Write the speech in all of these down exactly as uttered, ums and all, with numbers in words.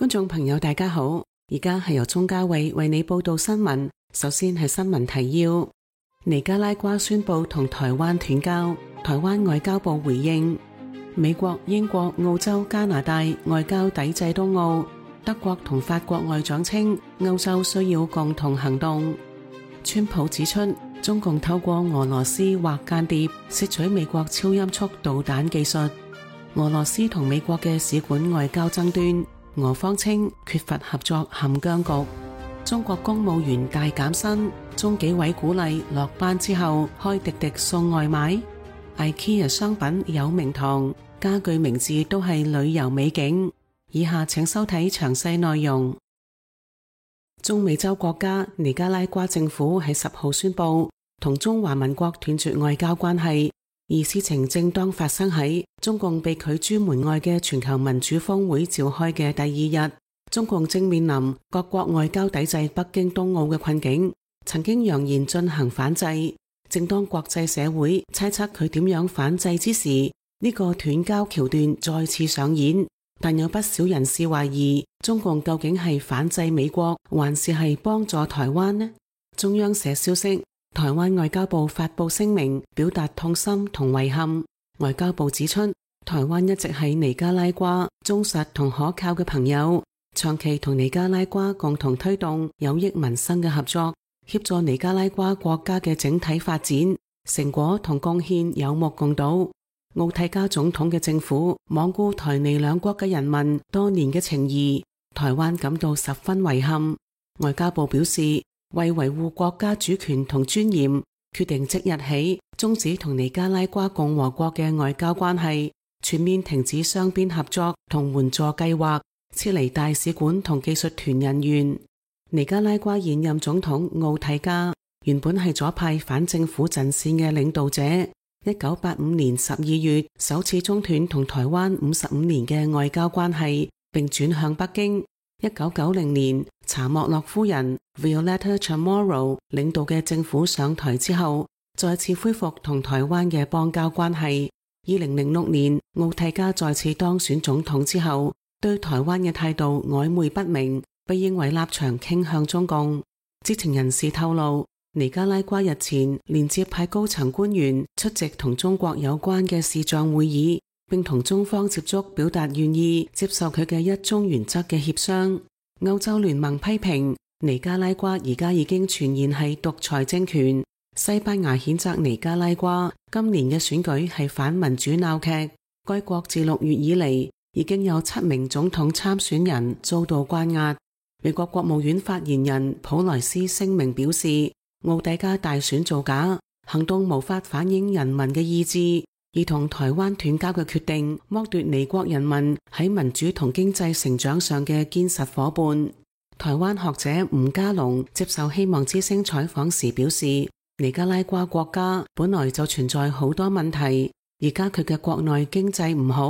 觀眾朋友大家好，而家係由鍾嘉慧為你報道新聞。首先係新聞提要：尼加拉瓜宣布同台灣斷交，台灣外交部回應。美國、英國、澳洲、加拿大外交抵制東奧，德國同法國外長稱歐洲需要共同行動。川普指出，中共透過俄羅斯或間諜竊取美國超音速導彈技術。俄羅斯同美國嘅使館外交爭端，俄方稱缺乏合作陷僵局。中國公務員大減薪，中紀委鼓勵落班之後開滴滴送外賣。IKEA 商品有名堂，家具名字都係旅遊美景。以下請收睇詳細內容。中美洲國家尼加拉瓜政府喺十號宣布同中華民國斷絕外交關係，而事情正當發生喺中共被拒諸門外嘅全球民主峰會召開嘅第二日。中共正面臨各國外交抵制北京冬奧嘅困境，曾經揚言進行反制。正當國際社會猜測佢點樣反制之時，呢個斷交橋段再次上演。但有不少人士懷疑，中共究竟係反制美國，還是係幫助台灣呢？中央社消息，台灣外交部發布聲明，表達痛心同遺憾。外交部指出，台灣一直係尼加拉瓜忠實同可靠嘅朋友，長期同尼加拉瓜共同推動有益民生嘅合作，協助尼加拉瓜國家嘅整體發展，成果同貢獻有目共睹。奧蒂加總統嘅政府罔顧台尼兩國嘅人民多年嘅情誼，台灣感到十分遺憾。外交部表示，為維護國家主權同尊嚴，決定即日起終止同尼加拉瓜共和國嘅外交關係，全面停止雙邊合作同援助計劃，撤離大使館同技術團人員。尼加拉瓜現任總統奧蒂加原本係左派反政府陣線嘅領導者，一九八五年十二月首次中斷同台灣五十五年嘅外交關係，並轉向北京。一九九零年查莫洛夫人 Violeta Chamorro 領導嘅政府上台之後，再次恢復同台灣嘅邦交關係。二零零六年奧蒂加再次當選總統之後，對台灣嘅態度曖昧不明，被認為立場傾向中共。知情人士透露，尼加拉瓜日前連接派高層官員出席同中國有關嘅視像會議，並同中方接觸，表達願意接受佢嘅一中原則嘅協商。歐洲聯盟批評尼加拉瓜而家已經傳言係獨裁政權。西班牙譴責尼加拉瓜今年嘅選舉係反民主鬧劇。該國自六月以嚟已經有七名總統參選人遭到關押。美國國務院發言人普萊斯聲明表示，奧蒂加大選造假，行動無法反映人民嘅意志，而同台灣斷交嘅決定剝奪尼國人民喺民主同經濟成長上嘅堅實夥伴。台灣學者吳家龍接受希望之聲採訪時表示，尼加拉瓜國家本來就存在好多問題，而家佢嘅國內經濟唔好，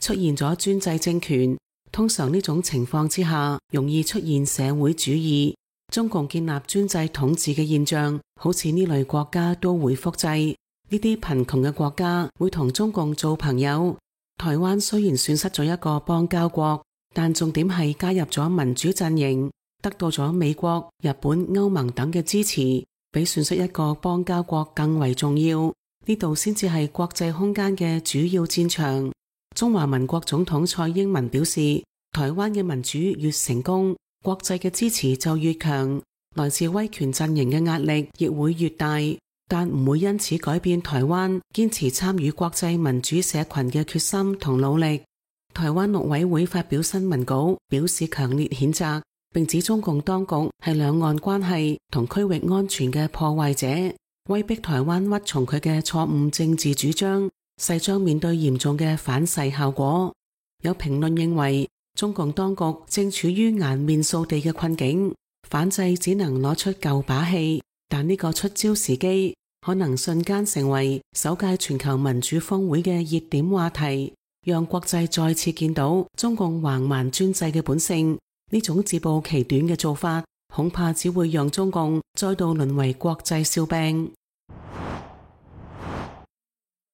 出現咗專制政權。通常呢種情況之下，容易出現社會主義。中共建立專制統治嘅現象，好似呢類國家都會複製。呢啲貧窮嘅國家會同中共做朋友。台灣雖然損失咗一個邦交國，但重點係加入咗民主陣營，得到咗美國、日本、歐盟等嘅支持，比損失一個邦交國更為重要。呢度先至係國際空間嘅主要戰場。中華民國總統蔡英文表示，台灣嘅民主越成功，國際嘅支持就越強，來自威權陣營嘅壓力亦會越大，但唔會因此改變台灣堅持參與國際民主社群嘅決心同努力。台灣陸委會發表新聞稿，表示強烈譴責，並指中共當局係兩岸關係同區域安全嘅破壞者，威逼台灣屈從佢嘅錯誤政治主張，勢將面對嚴重嘅反噬效果。有評論認為，中共當局正處於顏面掃地嘅困境，反制只能攞出舊把戲，但呢個出招時機可能瞬間成為首屆全球民主峰會嘅熱點話題，讓國際再次見到中共橫蠻專制嘅本性。呢種自暴其短嘅做法，恐怕只會讓中共再度淪為國際笑柄。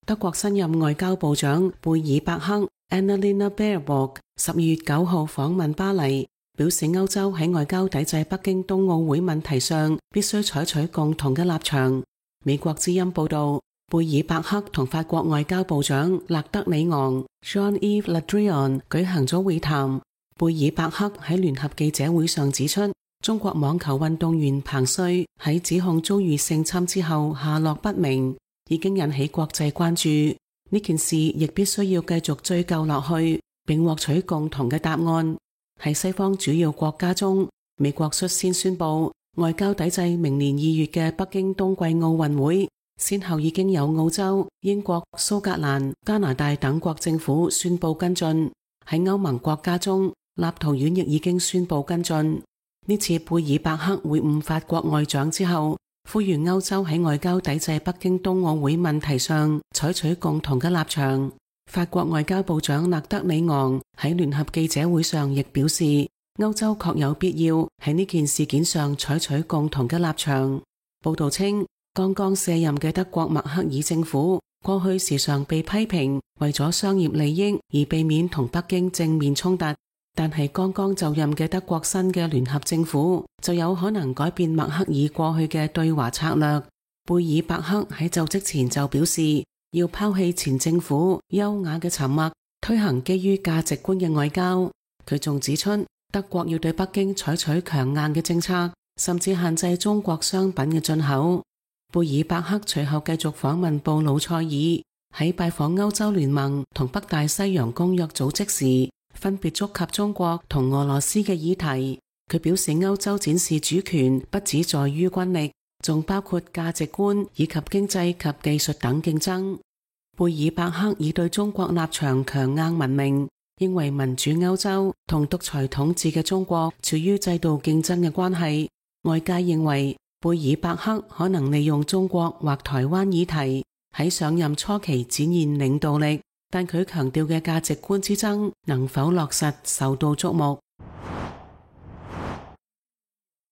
德國新任外交部長貝爾伯克 Annalena Baerbock 十二月九號訪問巴黎，表示歐洲喺外交抵制北京冬奧會問題上必須採取共同嘅立場。美國之音報道，貝爾伯克同法國外交部長勒德里昂 Jean-Yves Le Drian 舉行咗會談。貝爾伯克喺聯合記者會上指出，中國網球運動員彭帥喺指控遭遇性侵之後下落不明，已經引起國際關注。呢件事亦必須要繼續追究落去，並獲取共同嘅答案。喺西方主要國家中，美國率先宣布外交抵制明年二月嘅北京冬季奧運會，先後已經有澳洲、英國、蘇格蘭、加拿大等國政府宣布跟進。喺歐盟國家中，立陶宛亦已經宣布跟進。呢次貝爾伯克會晤法國外長之後，呼籲歐洲喺外交抵制北京冬奧會問題上採取共同嘅立場。法國外交部長勒德里昂喺聯合記者會上亦表示，歐洲確有必要喺呢件事件上採取共同嘅立場。報道稱，剛剛卸任嘅德國默克爾政府過去時常被批評為咗商業利益而避免同北京正面衝突，但係剛剛就任嘅德國新嘅聯合政府就有可能改變默克爾過去嘅對華策略。貝爾伯克喺就職前就表示，要拋棄前政府優雅嘅沉默，推行基於價值觀嘅外交。佢仲指出，德國要對北京採取強硬嘅政策，甚至限制中國商品嘅進口。貝爾伯克隨後繼續訪問布魯塞爾，喺拜訪歐洲聯盟同北大西洋公約組織時，分別觸及中國同俄羅斯嘅議題。佢表示，歐洲展示主權不只在於軍力，仲包括價值觀以及經濟及技術等競爭。貝爾伯克以對中國立場強硬聞名，認為民主歐洲同獨裁統治嘅中國處於制度競爭嘅關係。外界認為貝爾伯克可能利用中國或台灣議題喺上任初期展現領導力，但佢強調嘅價值觀之爭能否落實受到矚目。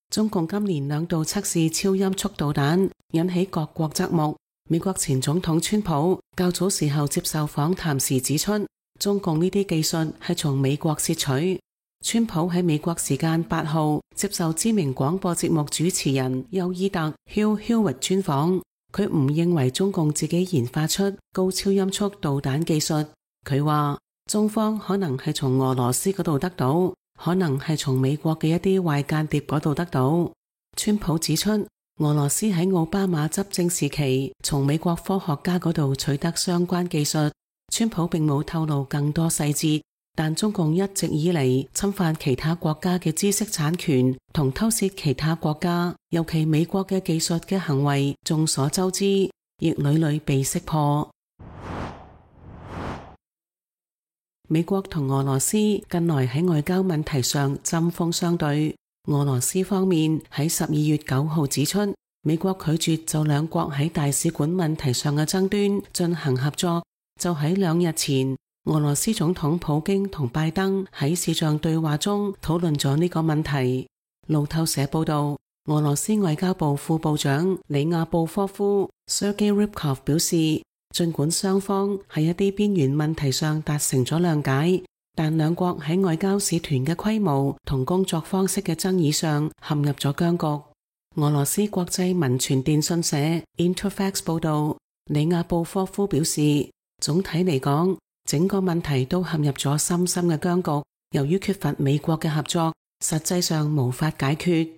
中共今年兩度測試超音速導彈，引起各國側目。美國前總統川普較早時候接受訪談時指出，中共呢啲技術係從美國竊取。川普喺美國時間八號接受知名廣播節目主持人休伊特 Hugh Hewitt 專訪，佢唔認為中共自己研發出高超音速導彈技術。佢話中方可能係從俄羅斯嗰度得到，可能係從美國嘅一啲壞間諜嗰度得到。川普指出，俄羅斯喺奧巴馬執政時期從美國科學家嗰度取得相關技術。川普並冇透露更多細節，但中共一直以嚟侵犯其他國家嘅知識產權同偷竊其他國家，尤其美國嘅技術嘅行為眾所周知，亦屢屢被識破。美國同俄羅斯近來喺外交問題上針鋒相對。俄羅斯方面喺十二月九號指出，美國拒絕就兩國喺大使館問題上嘅爭端進行合作。就喺兩日前，俄羅斯總統普京同拜登喺視像對話中討論咗呢個問題。路透社報道，俄羅斯外交部副部長里亞布科夫 Sergei Ryabkov 表示，儘管雙方喺一啲邊緣問題上達成咗諒解，但兩國喺外交使團嘅規模同工作方式嘅爭議上陷入咗僵局。俄羅斯國際文傳電訊社 Interfax 報道，里亞布科夫表示，總體嚟講，整個問題都陷入咗深深嘅僵局。由於缺乏美國嘅合作，實際上無法解決。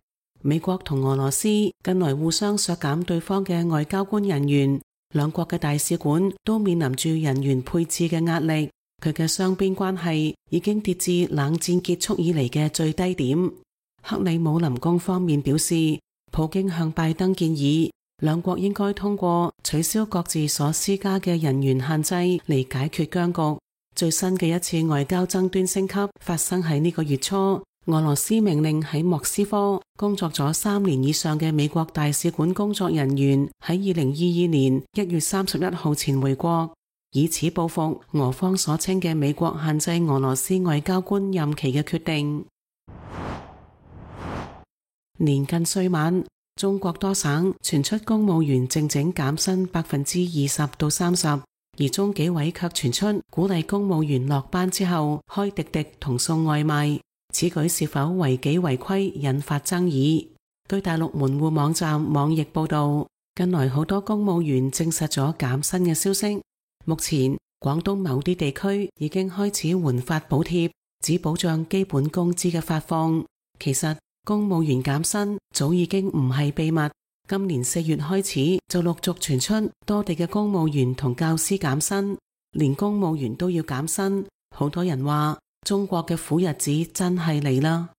美國同俄羅斯近來互相削減對方嘅外交官人員，兩國嘅大使館都面臨住人員配置嘅壓力。佢嘅雙邊關係已經跌至冷戰結束以嚟嘅最低點。克里姆林宮方面表示，普京向拜登建議，兩國應該通過取消各自所施加嘅人員限制嚟解決僵局。最新嘅一次外交爭端升級發生喺呢個月初，俄羅斯命令喺莫斯科工作咗三年以上嘅美國大使館工作人員喺二零二二年一月三十一號前回國，以此報復俄方所稱嘅美國限制俄羅斯外交官任期嘅決定。年近歲晚，中國多省傳出公務員靜靜減薪百分之二十到三十，而中紀委卻傳出鼓勵公務員落班之後開滴滴同送外賣，此舉是否違紀違規引發爭議。據大陸門戶網站網易報道，近來好多公務員證實咗減薪嘅消息。目前廣東某啲地區已經開始換發補貼，只保障基本工資嘅發放。其實公務員減薪早已經唔係秘密，今年四月開始就陸續傳出多地嘅公務員同教師減薪，連公務員都要減薪。好多人話中國嘅苦日子真係嚟啦。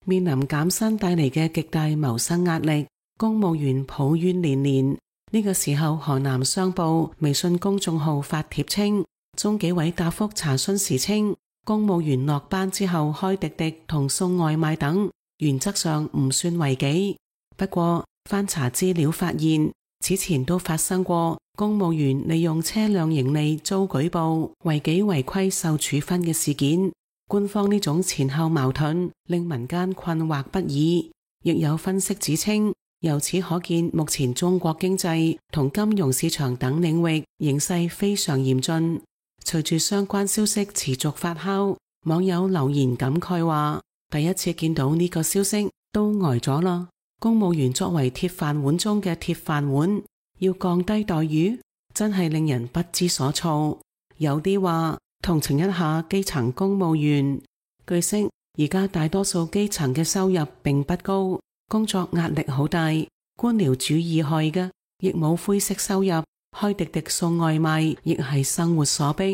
面臨減薪帶嚟嘅極大謀生壓力，公務員抱怨連連。呢個時候，河南商報微信公眾號發帖稱，中紀委答覆查詢時稱，公務員落班之後開滴滴同送外賣等，原則上唔算違紀。不過翻查資料發現，此前都發生過公務員利用車輛盈利遭舉報違紀違規受處分嘅事件。官方呢種前後矛盾令民間困惑不已，亦有分析指稱，由此可見目前中國經濟同金融市場等領域形勢非常嚴峻。隨住相關消息持續發酵，網友留言感慨話，第一次見到呢個消息都呆咗啦。公務員作為鐵飯碗中嘅鐵飯碗，要降低待遇，真係令人不知所措。有啲話同情一下基層公務員。據悉，而家大多數基層嘅收入並不高，工作壓力好大，官僚主義害嘅，亦冇灰色收入，開滴滴送外賣亦係生活所迫。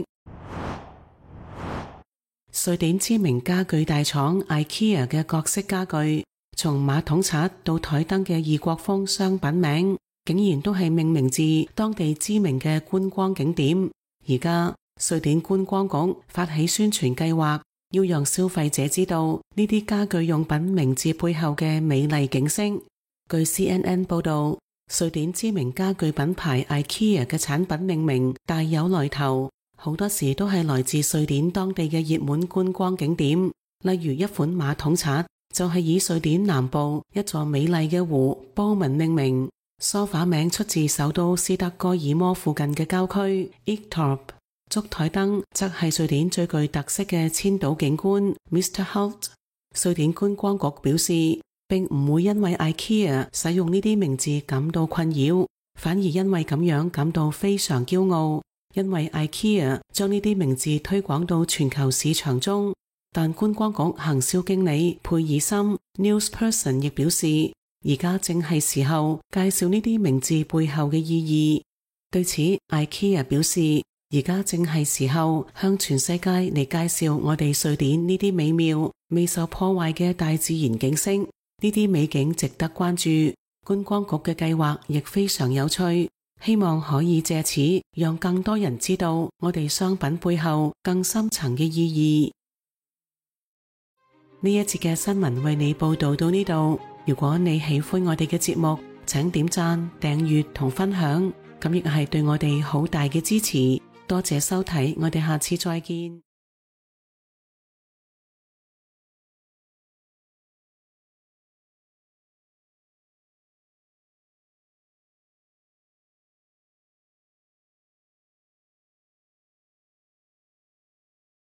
瑞典知名家具大廠 IKEA 嘅各式家具，從馬桶刷到台燈嘅異國風商品名，竟然都係命名自當地知名嘅觀光景點。而家瑞典觀光局發起宣傳計劃，要讓消費者知道呢啲家具用品名字背後嘅美麗景色。據 C N N 報道，瑞典知名家具品牌 IKEA 嘅產品命名大有來頭，好多時都係來自瑞典當地嘅熱門觀光景點。例如一款馬桶刷就係以瑞典南部一座美麗嘅湖波文命名，梳化名出自首都斯德哥爾摩附近嘅郊區 Ektorp。燭台燈則係瑞典最具特色嘅千島景觀 Mister Holt。 瑞典觀光局表示，並唔會因為 IKEA 使用呢啲名字感到困擾，反而因為咁樣感到非常驕傲，因為 IKEA 將呢啲名字推廣到全球市場中。但觀光局行銷經理佩爾森 Newsperson 亦表示，而家正係時候介紹呢啲名字背後嘅意義。對此 IKEA 表示，而家正係時候向全世界嚟介紹我哋瑞典呢啲美妙未受破壞嘅大自然景色，呢啲美景值得關注。觀光局嘅計劃亦非常有趣，希望可以借此讓更多人知道我哋商品背後更深層嘅意義。呢一節嘅新聞為你報道到呢度。如果你喜歡我哋嘅節目，請點讚、訂閱同分享，咁亦係對我哋好大嘅支持。多謝收睇，我哋下次再見。